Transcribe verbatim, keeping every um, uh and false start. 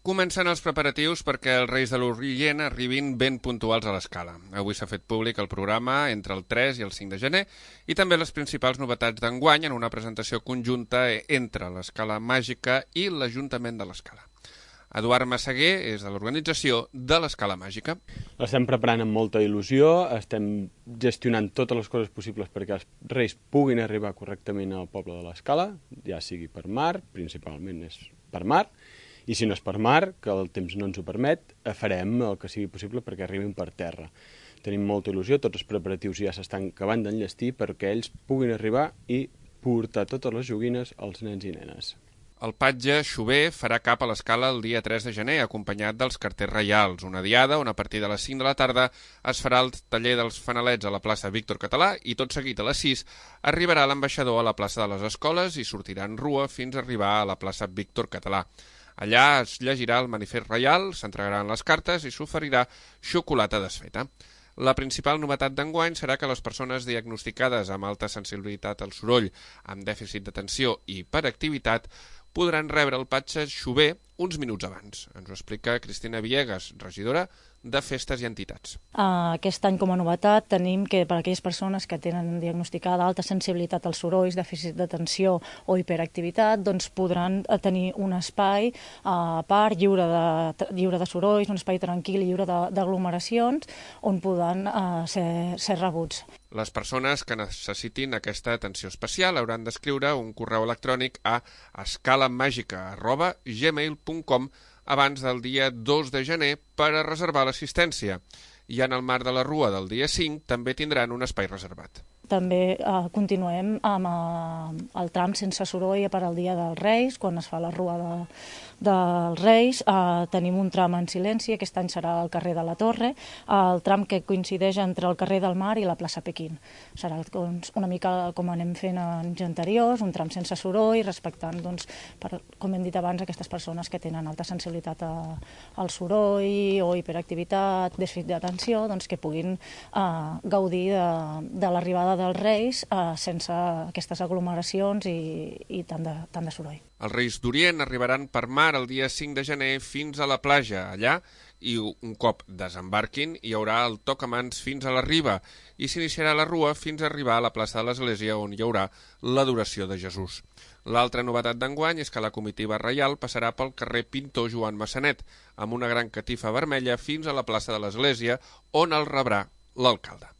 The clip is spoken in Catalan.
Comencen els preparatius perquè els Reis de l'Orient arribin ben puntuals a l'Escala. Avui s'ha fet públic el programa entre el tres i el cinc de gener i també les principals novetats d'enguany en una presentació conjunta entre l'Escala Màgica i l'Ajuntament de l'Escala. Eduard Massaguer és de l'organització de l'Escala Màgica. L'estem preparant amb molta il·lusió, estem gestionant totes les coses possibles perquè els Reis puguin arribar correctament al poble de l'Escala, ja sigui per mar, principalment és per mar, i si no és per mar, que el temps no ens ho permet, farem el que sigui possible perquè arribin per terra. Tenim molta il·lusió, tots els preparatius ja s'estan acabant d'enllestir perquè ells puguin arribar i portar totes les joguines als nens i nenes. El patge Xover farà cap a l'Escala el dia tres de gener, acompanyat dels carters reials, una diada on a partir de les cinc de la tarda es farà el taller dels fanalets a la plaça Víctor Català i tot seguit a les sis arribarà l'ambaixador a la plaça de les Escoles i sortirà en rua fins a arribar a la plaça Víctor Català. Allà es llegirà el manifest reial, s'entregaran les cartes i s'oferirà xocolata desfeta. La principal novetat d'enguany serà que les persones diagnosticades amb alta sensibilitat al soroll, amb dèficit d'atenció i hiperactivitat podran rebre el patge Xover uns minuts abans. Ens ho explica Cristina Villegas, regidora de Festes i Entitats. Aquest any, com a novetat, tenim que per a aquelles persones que tenen diagnosticada alta sensibilitat als sorolls, dèficit d'atenció o hiperactivitat, doncs podran tenir un espai a part lliure de, lliure de sorolls, un espai tranquil i lliure d'aglomeracions on poden uh, ser, ser rebuts. Les persones que necessitin aquesta atenció especial hauran d'escriure un correu electrònic a escalamagica arroba gmail punt com abans del dia dos de gener per a reservar l'assistència. I en el marc de la Rua del dia cinc també tindran un espai reservat. També eh, continuem amb eh, el tram sense soroll per al dia dels Reis, quan es fa la Rua de, dels Reis. Eh, tenim un tram en silenci, aquest any serà al carrer de la Torre, el tram que coincideix entre el carrer del Mar i la plaça Pequín. Serà doncs, una mica com anem fent en anys anteriors, un tram sense soroll, respectant, doncs, per, com hem dit abans, aquestes persones que tenen alta sensibilitat a, al soroll o hiperactivitat, dèficit d'atenció, doncs, que puguin eh, gaudir de, de l'arribada dels Reis eh, sense aquestes aglomeracions i, i tant, de, tant de soroll. Els Reis d'Orient arribaran per mar el dia cinc de gener fins a la platja. Allà, i un cop desembarquin, hi haurà el toc a mans fins a la riba i s'iniciarà la rua fins a arribar a la plaça de l'Església on hi haurà l'adoració de Jesús. L'altra novetat d'enguany és que la comitiva reial passarà pel carrer Pintor Joan Massanet amb una gran catifa vermella fins a la plaça de l'Església on el rebrà l'alcalde.